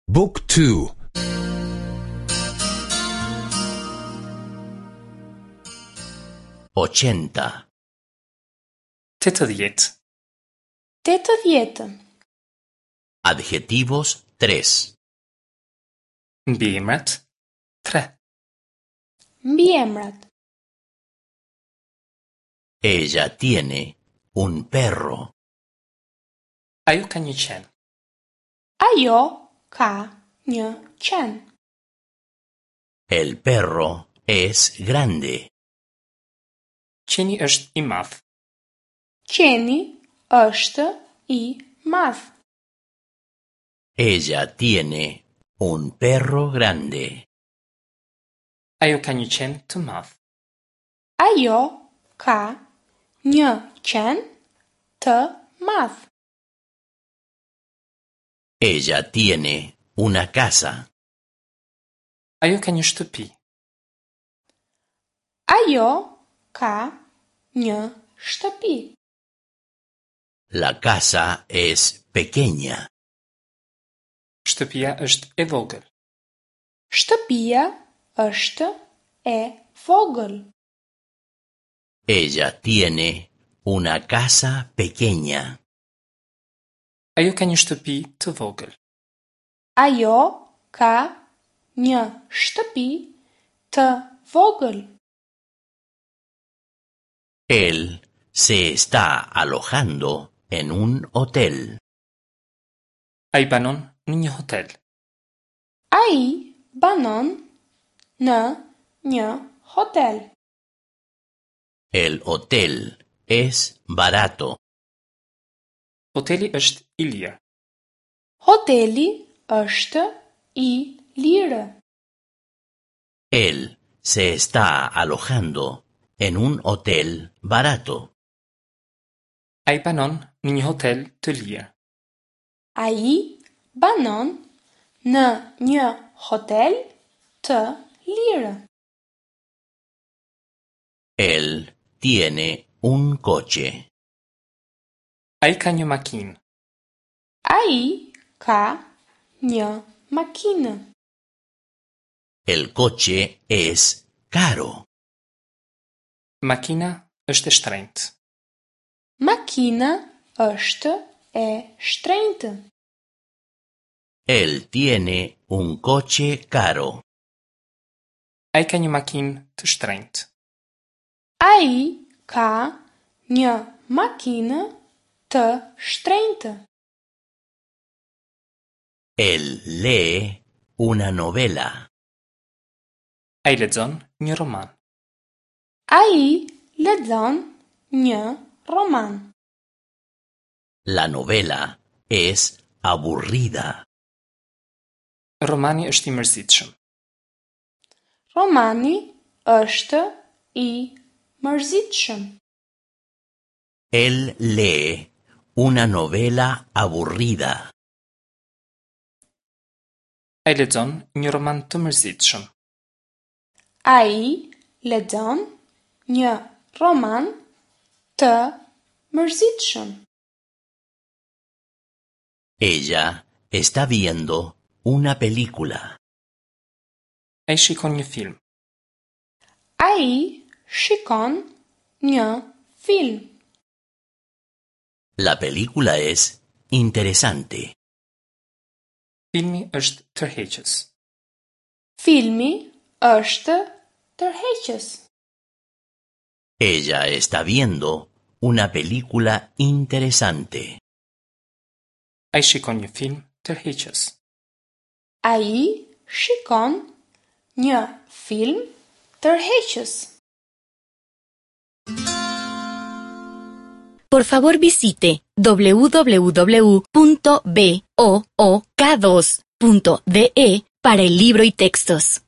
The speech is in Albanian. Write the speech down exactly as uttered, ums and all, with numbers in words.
Book two. Ochenta. Tetëdhjetë. Tetëdhjetë. Adjetivos tres. Mbiemrat tre. Mbiemrat. Ella tiene un perro. Ajo ka një qen. Ajo ka një qen. El perro es grande. Qeni është i madh. Qeni është i madh. Ella tiene un perro grande. Ajo ka një qen të madh. Ajo ka një qen të madh. Ella tiene una casa. Ajo ka një shtëpi. Ajo ka një shtëpi. La casa es pequeña. Shtëpia është e vogël. Shtëpia është e vogël. Ella tiene una casa pequeña. Ajo ka një shtëpi të vogël. Ajo ka një shtëpi të vogël. Él se está alojando en un hotel. Ai banon në një hotel. Ai banon në një hotel. El hotel es barato. Hoteli është i lirë. Hoteli është i lirë. Él se está alojando en un hotel barato. Ai banon në një hotel të lirë. Ai banon në një hotel të lirë. Él tiene un coche. Ai ka një makinë. Ai ka një makinë. El coche es caro. Makina është e shtrenjtë. Makina është e shtrenjtë. Él tiene un coche caro. Ai ka një makinë të shtrenjtë. Ai ka një makinë të shtrenjtë. Él lee una novela. Ai lexon një roman. Ai lexon një roman. La novela es aburrida. Romani është i mërzitshëm. Romani është i mërzitshëm. Él lee una novela aburrida. Ai lexon një roman të mërzitshëm. Ai lexon një roman të mërzitshëm. Ella está viendo una película. Ai shikon një film. Ai shikon një film. La película es interesante. Filmi është tërheqës. Filmi është tërheqës. Ella está viendo una película interesante. Ai shikon një film tërheqës. Ai shikon një film tërheqës. Por favor visite w w w punto b o o k dos punto d e para el libro y textos.